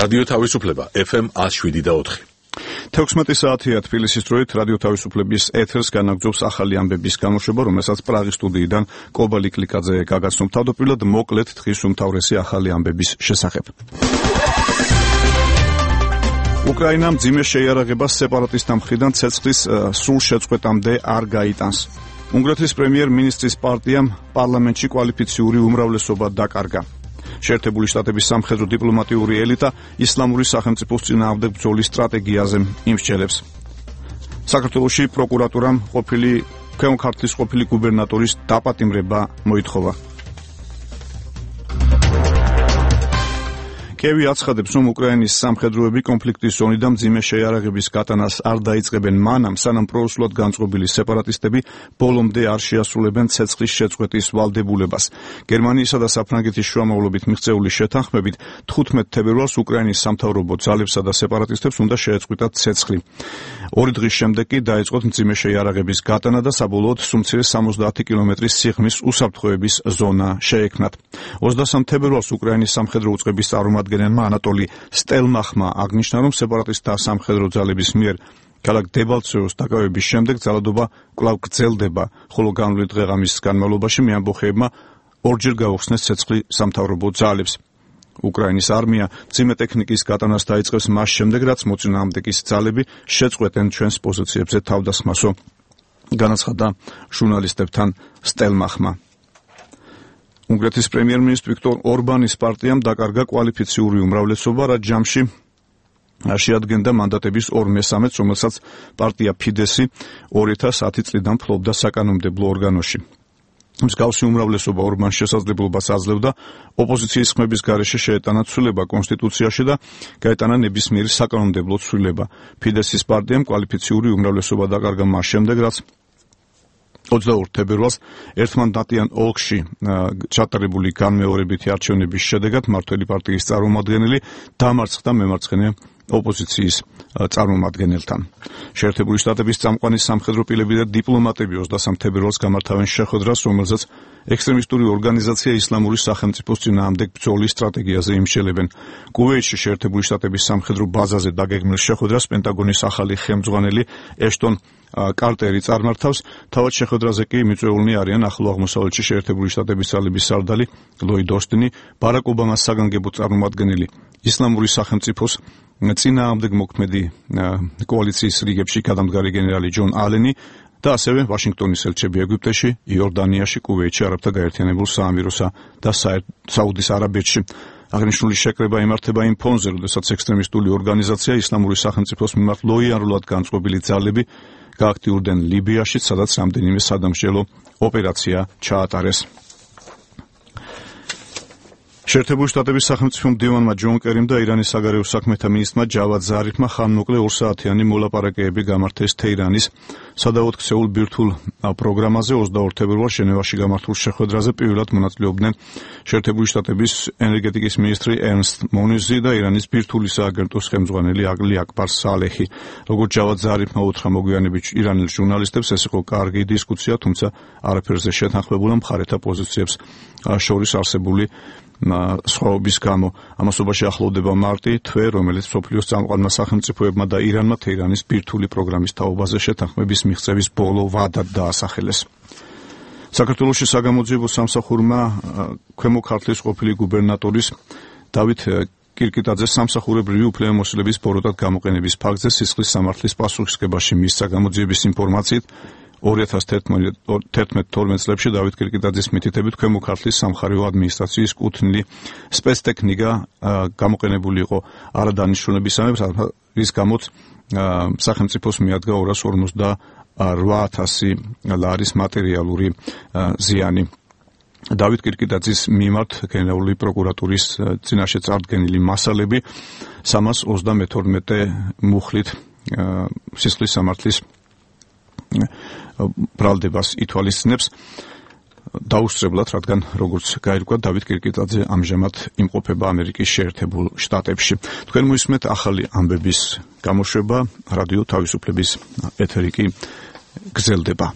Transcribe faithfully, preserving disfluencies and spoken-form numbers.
რადიო თავისუფლება ეფ ემ one oh seven point four. თექვსმეტი საათია თბილისის დროით რადიო თავისუფლების ეთერს განაგრძობს ახალი ამბების გამოშვება, რომელსაც პრაღის სტუდიიდან კობალი კლიკაძე გაგაცნობ. თავდაპირველად მოკლედ დღის უმთავრესი ახალი ამბების შესახებ. უკრაინამ მძიმე შეიარაღებას სეპარატისტთა მხრიდან ცეცხლის სრულ შეწყვეტამდე არ გაიტანს. უნგრეთის პრემიერ-მინისტრის პარტიამ პარლამენტში კვალიფიციური უმრავლესობა დაკარგა. შეერთებული შტატების სამხედრო დიპლომატიური ელიტა ისლამური სახელმწიფოს წინააღმდეგ ბრძოლის სტრატეგიაზე იმსჯელებს. საქართველოში პროკურატურამ ყოფილი ქვემო ქართლის ყოფილი გუბერნატორის დაპატიმრება მოითხოვა. კევი აცხადებს, რომ უკრაინის სამხედროები კონფლიქტის ზონიდან მძიმე შეიარაღების გატანას არ დაიწყებენ მანამ, სანამ პროუსულად განწყობილი სეპარატისტები ბოლომდე არ შეასრულებენ ცეცხლის შეწყვეტის ვალდებულებას. გერმანიისა და საფრანგეთის შუამავლობით მიღწეული შეთანხმებით თხუთმეტ თებერვალს უკრაინის სამთავრობო ძალებსა და სეპარატისტებს უნდა შეეწყვიტათ ცეცხლი. ორი დღის შემდეგ კი დაიწყოთ მძიმე შეიარაღების გატანა და საბოლოოდ სუმცირე სამოცდაათი კილომეტრის სიღრმის უსაფრთხოების ზონა შეექმნათ. ოცდასამ თებერვალს უკრაინის სამხედრო უწყების წარმომადგენელმა ანატოლი სტელმახმა აღნიშნა, რომ სეპარატისტთა სამხედრო ძალების მიერ ქალაქ დებალცევოს დაკავების შემდეგ ძალადობა კვლავ გრძელდება, ხოლო განვლილი დღეღამის განმავლობაში მეამბოხეებმა ორჯერ გაუხსნეს ცეცხლი სამთავრობო ძალებს. უკრაინის არმია მძიმე ტექნიკის გატანას დაიწყებს მას შემდეგ, რაც მოწინააღმდეგის ძალები შეწყვეტენ ჩვენს პოზიციებზე თავდასხმასო, განაცხადა ჟურნალისტებთან სტელმახმა. უნგრეთის პრემიერ-მინისტр ვიქტორ ორბანის პარტიამ დაკარგა კვალიფიციური უმრავლესობა, რაც ჯამში შეადგენდა მანდატების ორ მესამედს, რომელსაც პარტია ფიდესი ორი ათას ათი წლიდან ფლობდა საკანონმდებლო ორგანოში. მსგავსი უმრავლესობა ორბანს შესაძლებლობას აძლევდა ოპოზიციის ხმების გარეშე შეეტანა ცვლილება კონსტიტუციაში და გაეტანა ნებისმიერი საკანონმდებლო ცვლილება. ფიდესის პარტიამ კვალიფიციური უმრავლესობა დაკარგა მას შემდეგ, რაც ოცდაორ თებერვალს ერთმანდატიან ოლქში ჩატარებული განმეორებითი არჩევნების შედეგად მმართველი პარტიის წარმომადგენელი დამარცხდა მემარცხენე ოპოზიციის წარმომადგენელთან. შეერთებული შტატების წამყვანი სამხედრო პირები და დიპლომატები ოცდასამ თებერვალს გამართავენ შეხვედრას, რომელზეც ექსტრემისტული ორგანიზაცია ისლამური სახელმწიფოს წინააღმდეგ ბრძოლის სტრატეგიაზე იმსჯელებენ. კუვეითში შეერთებული შტატების სამხედრო ბაზაზე დაგეგმილ შეხვედრას პენტაგონის ახალი ხელმძღვანელი ეშტონ კარტერი წარმართავს. თავად შეხვედრაზე კი მიწვეულნი არიან ახლო აღმოსავლეთში შეერთებული შტატების ძალების სარდალი ლოიდ ოსტინი, ბარაკ ობამას საგანგებო წარმომადგენელი ისლამური სახელმწიფოს წინააღმდეგ მოქმედი კოალიციის რიგებში გადამდგარი გენერალი ჯონ ალენი და ასევე ვაშინგტონის ელჩები ეგვიპტეში, იორდანიაში, კუვეითში, არაბთა გაერთიანებულ საამიროსა და საუდის არაბეთში. აღნიშნული შეკრება იმართება იმ ფონზე, როდესაც ექსტრემისტული ორგანიზაცია ისლამური სახელმწიფოს მიმართ ლოიალურად განწყობილი ძალები გააქტიურდნენ ლიბიაში, სადაც რამდენიმე სადამსჯელო ოპერაცია ჩაატარეს. შეერთებული შტატების სახელმწიფო მდივანმა ჯონ კერიმ და ირანის საგარეო საქმეთა მინისტრმა ჯავად ზარიფმა ხანმოკლე ორსაათიანი მოლაპარაკებები გამართეს თეირანის სადავოდ ქცეულ ბირთვულ პროგრამაზე. ოცდაორ თებერვალს ჟენევაში გამართულ შეხვედრაზე პირველად მონაწილეობდნენ შეერთებული შტატების ენერგეტიკის მინისტრი ერნსტ მონიზი და ირანის ბირთვული სააგენტოს ხელმძღვანელი ალი აკბარ სალეჰი. როგორც ჯავად ზარიფმა უთხრა მოგვიანებით ირანელ ჟურნალისტებს, ეს იყო კარგი დისკუსია, თუმცა არაფერზე შეთანხმებულა მხარეთა პოზიციებს შორის არსებული სხვაობის გამო. ამასობაში ახლოვდება მარტი თვე, რომელიც მსოფლიოს წამყვანმა სახელმწიფოებმა და ირანმა თეირანის ბირთვული პროგრამის თაობაზე შეთანხმების მიღწევის ბოლო ვადად დაასახელეს. საქართველოში საგამოძიებო სამსახურმა ქვემო ქართლის ყოფილი გუბერნატორის დავით კირკიტაძეს სამსახურებრივი უფლებამოსილების ბოროტად გამოყენების ფაქტზე სისხლის სამართლის პასუხისმგებაში მისცა. გამოძიების ინფორმაციით ორი ათას თერთმეტ თორმეტ წლებში დავით კირკიტაძის მითითებით ქვემო ქართლის სამხარეო ადმინისტრაციის კუთვნილი სპეცტექნიკა გამოყენებული იყო არადანიშნულებისამებრ, რის გამოც სახელმწიფოს მიადგა ორას ორმოცდაორი ათასი ლარის მატერიალური ზიანი. დავით კირკიტაძის მიმართ გენერალური პროკურატურის წინაშე წარდგენილი მასალები სამას ოცდამეთორმეტე მუხლით სისხლის სამართლის ბრალდებას ითვალისწინებს დაუსწრებლად, რადგან როგორც გაირკვა დავით კირკიტაძე ამჟამად იმყოფება ამერიკის შეერთებულ შტატებში. თქვენ მოისმენთ ახალი ამბების გამოშვება, რადიო თავისუფლების ეთერი კი გრძელდება.